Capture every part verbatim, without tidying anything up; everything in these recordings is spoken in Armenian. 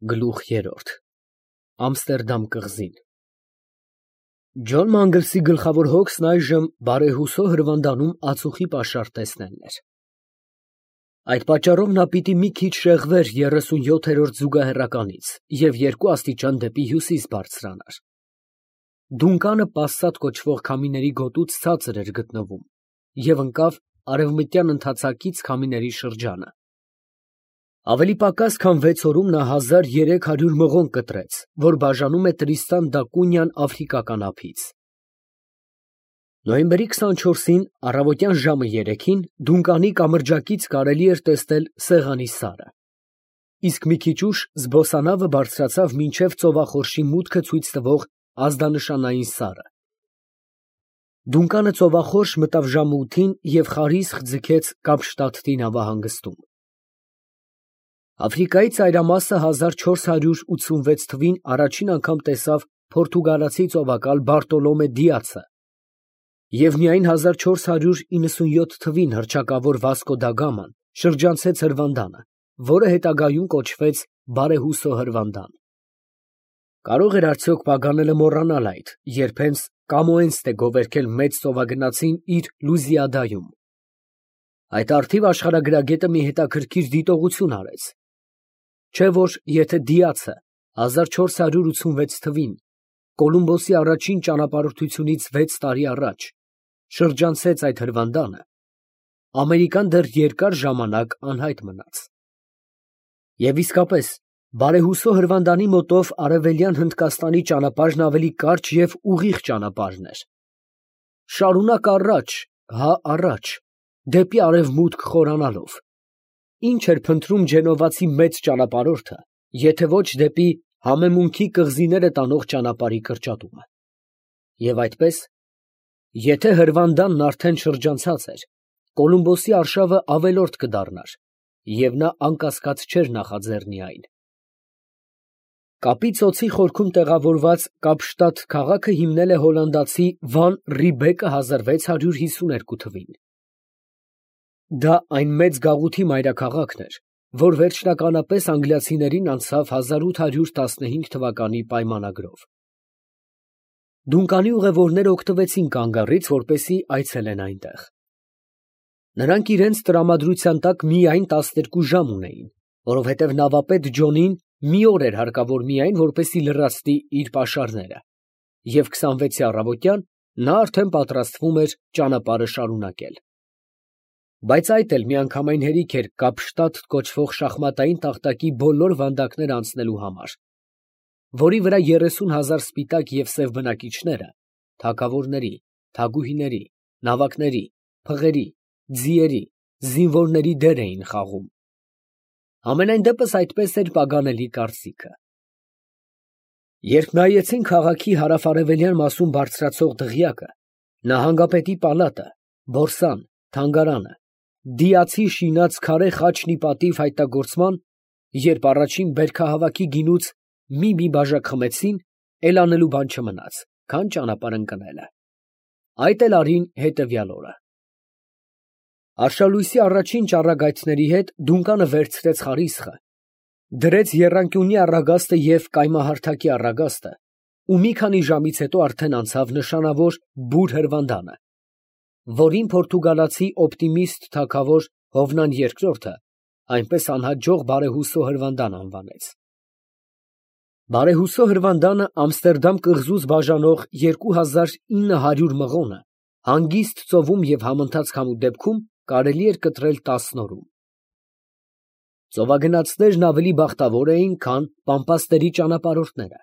Գլուխ երրորդ Ամստերդամ կղզին Ջոն Մանգլսի գլխավոր հոգսն այժմ բարեհուսո հրվանդանում ածուխի պաշար տեսնելն էր։ Այդ պատճառով նա պիտի մի քիչ շեղվեր երեսունյոթերորդ զուգահեռականից և երկու աստիճան դեպի հյուսիս բարձրանար։ Դունկանը Պասսատ կոչվող քամիների գոտուց ցածր էր գտնվում և ընկավ արևմտյան ընթացակից քամիների շրջանը։ Ավելի պակաս քան վեց օրում նա հազար երեք հարյուր մղոն կտրեց, որ բաժանում է Տրիստան դա Կունյան աֆրիկական ափից։ Նոյեմբերի քսանչորսին առավոտյան ժամը երեքին Դունկանի կամրջակից կարելի էր տեսնել Սեղանի սարը, իսկ մի քիչ ուշ զբոսանավը բարձրացավ մինչև ծովախորշի մուտքը ցույց տվող ազդանշանային սարը։ Դունկանը ծովախորշ մտավ ժամը ութին և խարիսխ ձգեց Կապշտադտի նավահանգստում։ Աֆրիկայի ծայրամասը հազար չորս հարյուր ութսունվեց թվին առաջին անգամ տեսավ պորտուգալացի ծովակալ Բարտոլոմե Դիացը և միայն հազար չորս հարյուր իննսունյոթ թվին հռչակավոր Վասկո դա Գաման շրջանցեց հրվանդանը, որը հետագայում կոչվեց Բարեհուսո հրվանդան։ Կարող էր արդյոք Պագանելը մոռանալ այդ, երբ հենց Կամոենսն է գովերգել մեծ ծովագնացին իր Լուզիադայում։ Այդ առթիվ աշխարհագրագետը մի հետաքրքիր դիտողություն արեց, չէ՞ որ եթե Դիացը հազար չորս հարյուր ութսունվեց թվին Կոլումբոսի առաջին ճանապարհորդությունից վեց տարի առաջ շրջանցեց այդ հրվանդանը, Ամերիկան դեռ երկար ժամանակ անհայտ մնաց։ Եվ իսկապես, Բարեհուսո հրվանդանի մոտով Արևելյան Հնդկաստանի ճանապարհն ավելի կարճ և ուղիղ ճանապարհն էր։ Շարունակ առաջ, հա առաջ, դեպի արևմուտք խորանալով։ Ինչ էր փնտրում Ջենովացի մեծ ճանապարհորդը, եթե ոչ դեպի համեմունքի կղզիները տանող ճանապարհի կրճատումը։ Եվ այդպես, եթե հրվանդանն արդեն շրջանցած էր, Կոլումբոսի արշավը ավելորդ կդառնար, և նա անկասկած չէր նախաձեռնի այն։ Կապի ծոցի խորքում տեղավորված Կապշտադ քաղաքը հիմնել է հոլանդացի Վան Ռիբեկը հազար վեց հարյուր հիսուներկու թվին։ Դա այն մեծ գաղութի մայրաքաղաքն էր, որ վերջնականապես անգլիացիներին անցավ հազար ութ հարյուր տասնհինգ թվականի պայմանագրով։ Դունկանի ուղևորները օգտվեցին կանգառից, որպեսզի այցելեն այնտեղ։ Նրանք իրենց տրամադրության տակ միայն տասներկու ժամ ունեին, որովհետև նավապետ Ջոնին մի օր էր հարկավոր միայն, որպեսզի լրացնի իր պաշարները, և քսանվեցի առավոտյան նա արդեն պատրաստվում էր ճանապարհը շարունակել։ Բայց այդ էլ միանգամայն հերիք էր Կապշտադ կոչվող շախմատային տախտակի բոլոր վանդակները անցնելու համար, որի վրա երեսուն հազար սպիտակ և սև բնակիչները թագավորների, թագուհիների, նավակների, փղերի, ձիերի, զինվորների դեր էին խաղում։ Համենայն դեպս այդպես էր Պագանելի կարծիքը։ Երբ նայեցին քաղաքի հարավ֊արևելյան մասում բարձրացող դղյակը, նահանգապետի պալատը, բորսան, թանգարանը, Դիացի շինած քարե խաչն ի պատիվ հայտնագործման, երբ առաջին բերքահավաքի գինուց մի֊մի բաժակ խմեցին, էլ անելու բան չմնաց, քան ճանապարհ ընկնելը։ Այդ էլ արին հետևյալ օրը։ Արշալույսի առաջին ճառագայթների հետ Դունկանը վերցրեց խարիսխը, դրեց եռանկյունի առագաստը և կայմահարթակի առագաստը ու մի քանի ժամից հետո արդեն անցավ նշանավոր Բուր հրվանդանը, որին պորտուգալացի օպտիմիստ թագավոր Հովնան երկրորդը այնպես անհաջող Բարեհուսո հրվանդան անվանեց։ Բարեհուսո հրվանդանը Ամստերդամ կղզուց բաժանող երկու հազար ինը հարյուր մղոնը հանգիստ ծովում և համընթաց քամու դեպքում կարելի էր կտրել տասն օրում։ Ծովագնացներն ավելի բախտավոր էին, քան պամպասների ճանապարհորդները։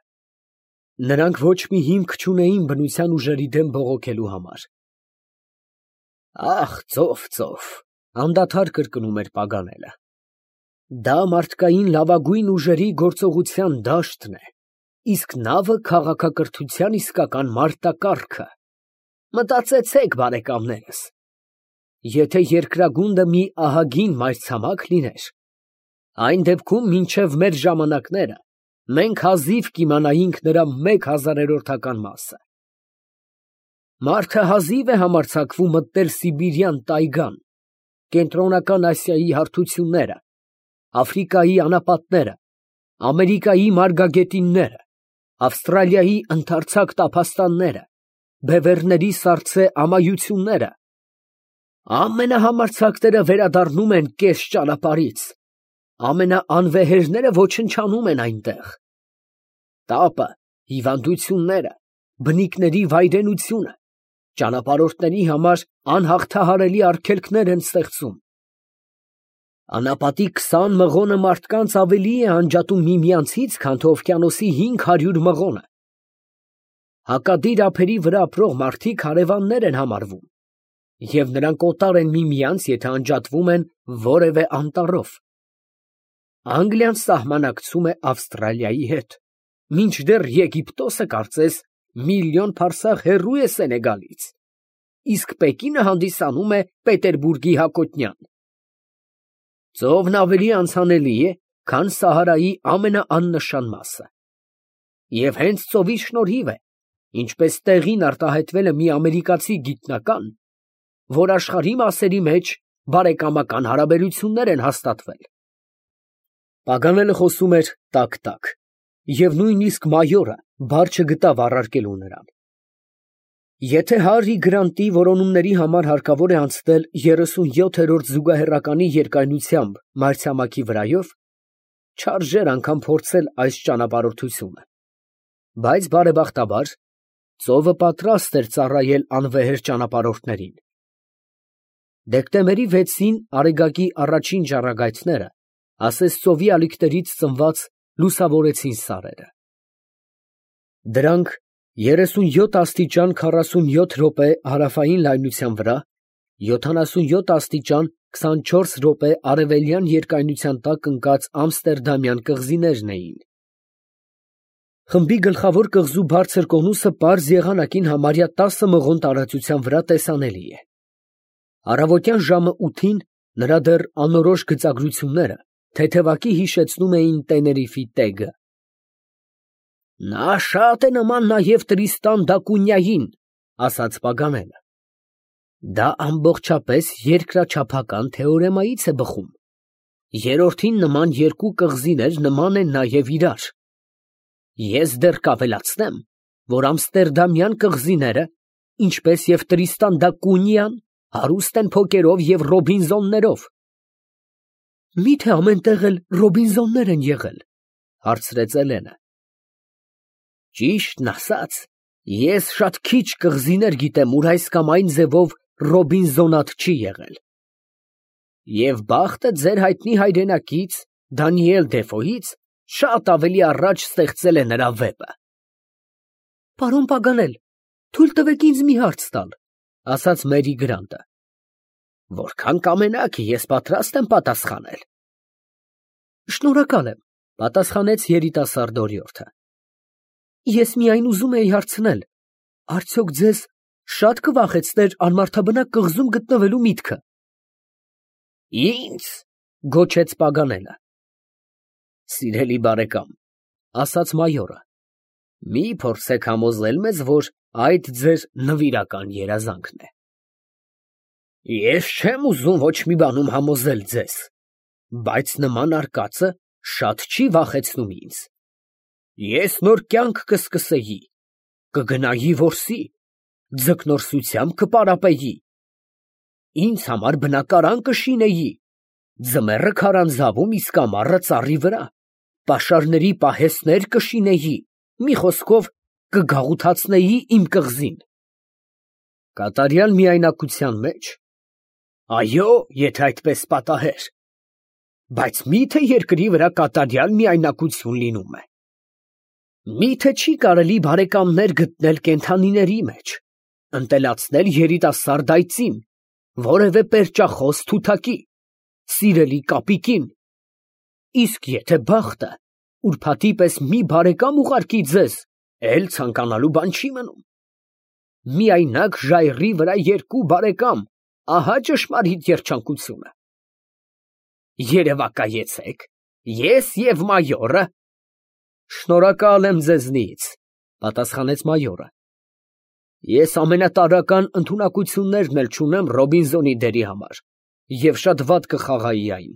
Նրանք ոչ մի հիմք չունեին բնության ուժերի դեմ բողոքելու համար։ Ախ, ծով, ծով, անդադար կրկնում էր Պագանելը։ Դա մարդկային լավագույն ուժերի գործողության դաշտն է, իսկ նավը քաղաքակրթության իսկական մարտակառքը։ Մտածեցեք, բարեկամներս, եթե երկրագունդը մի ահագին մայրցամաք լիներ, այն դեպքում մինչև մեր ժամանակները մենք հազիվ կիմանայինք նրա մեկ հազարերորդական մասը։ Մարդը հազիվ է համարձակվում մտնել Սիբիրյան տայգան, Կենտրոնական Ասիայի հարթությունները, Աֆրիկայի անապատները, Ամերիկայի մարգագետինները, Ավստրալիայի ընդարձակ տափաստանները, բևեռների սառցե ամայությունները, ամենահամարձակները վերադառնում են կես ճանապարհից, ամենաանվեհերները ոչնչանում են այնտեղ։ Տապը, հիվանդությունները, բնիկների վայրենությունը ճանապարհորդների համար անհաղթահարելի արգելքներ են ստեղծում։ Անապատի քսան մղոնը մարդկանց ավելի է անջատում միմյանցից, քան թե օվկիանոսի հինգ հարյուր մղոնը։ Հակադիր ափերի վրա ապրող մարդիկ հարևաններ են համարվում, և նրանք օտար են միմյանց, եթե անջատվում են որևէ անտառով։ Անգլիան սահմանակցում է Ավստրալիայի հետ, մինչդեռ Եգիպտոսը կարծես միլիոն փարսաղ հեռու է Սենեգալից, իսկ Պեկինը հանդիսանում է Պետերբուրգի հակոտնյան։ Ծովն ավելի անցանելի է, քան Սահարայի ամենաաննշան մասը։ Եվ հենց ծովի շնորհիվ է, ինչպես տեղին արտահայտվել է մի ամերիկացի գիտնական, որ աշխարհի մասերի մեջ բարեկամական հարաբերություններ են հաստատվել։ Պագանելը խոսում էր տակ֊տակ, և նույնիսկ մայորը բար չգտավ առարկելու նրան։ Եթե Հարի Գրանտի որոնումների համար հարկավոր է անցնել երեսունյոթերորդ զուգահեռականի երկայնությամբ մայրցամաքի վրայով, չարժեր անգամ փորձել այս ճանապարհորդությունը, բայց բարեբախտաբար ծովը պատրաստ էր ծառայել անվեհեր ճանապարհորդներին։ Դեկտեմբերի վեցին Արեգակի առաջին ճառագայթները ասես ծովի ալիքներից ծնված լուսավորեցին սարերը։ Դրանք երեսունյոթ աստիճան քառասունյոթ րոպե հարավային լայնության վրա, յոթանասունյոթ աստիճան քսանչորս րոպե արևելյան երկայնության տակ ընկած ամստերդամյան կղզիներն էին։ Խմբի գլխավոր կղզու բարձր կոնուսը պարզ եղանակին համարյա տասը մղոն տարածության վրա տեսանելի է։ Առավոտյան ժամը ութին նրա դեռ անորոշ գծագրությունները թեթևակի հիշեցնում էին Տեներիֆի տեգը։ Նա շատ է նման նաև Տրիստան դա Կունյային, ասաց Պագանելը։ Դա ամբողջապես երկրաչափական թեորեմայից է բխում։ Երրորդին նման երկու կղզիներ նման են նաև իրար։ Ես դեռ կավելացնեմ, որ ամստերդամյան կղզիները, ինչպես և Տրիստան դա Կունյան, հարուստ են փոկերով և ռոբինզոններով։ Մի՞թե ամենտեղ էլ ռոբինզոններ են եղել, հարցրեց Էլենը։ Ճիշտն ասած, ես շատ քիչ կղզիներ գիտեմ, ուր այս կամ այն ձևով ռոբինզոնատ չի եղել։ Եվ բախտը ձեր հայտնի հայրենակից Դանիել Դեֆոյից շատ ավելի առաջ ստեղծել է նրա վեպը։ Պարոն Պագանել, թույլ տվեք ինձ մի հարց տալ, ասաց Մերի Գրանտը։ Որքան կամենաք, ես պատրաստ եմ պատասխանել։ Շնորհակալ եմ, պատասխանեց երիտասարդ օրիորդը։ Ես միայն ուզում էի հարցնել, արդյոք ձեզ շատ կվախեցներ անմարդաբնակ կղզում գտնվելու միտքը։ Ինձ, գոչեց Պագանելը։ Սիրելի բարեկամ, ասաց մայորը, մի փորձեք համոզել մեզ, որ այդ ձեր նվիրական երազանքն է։ Ես չեմ ուզում ոչ մի բանում համոզել ձեզ, բայց նման արկածը շատ չի վախեցնում ինձ։ Ես նոր կյանք կսկսեի, կգնայի որսի, ձկնորսությամբ կպարապեի, ինձ համար բնակարան կշինեի, ձմեռը քարանձավում, իսկ ամառը ծառի վրա, պաշարների պահեսներ կշինեի, մի խոսքով կգաղութացնեի իմ կղզին։ Կատարյալ միայնակության մեջ։ Այո, եթե այդպես պատահեր, բայց մի՞թե երկրի վրա կատարյալ միայնակություն լինում է։ Մի՞թե չի կարելի բարեկամներ գտնել կենդանիների մեջ, ընտելացնել երիտասարդ այծին, որևէ պերճախոս թութակի, սիրելի կապիկին, իսկ եթե բախտը ուրբաթի պես մի բարեկամ ուղարկի ձեզ, էլ ցանկանալու բան չի մնում։ Միայնակ ժայռի վրա երկու բարեկամ, ահա ճշմարիտ երջանկությունը։ Երևակայեցեք, ես և մայորը։ Շնորհակալ եմ ձեզնից, պատասխանեց մայորը։ Ես ամենատարրական ընդունակություններն էլ չունեմ Ռոբինզոնի դերի համար, և շատ վատ կխաղայի այն։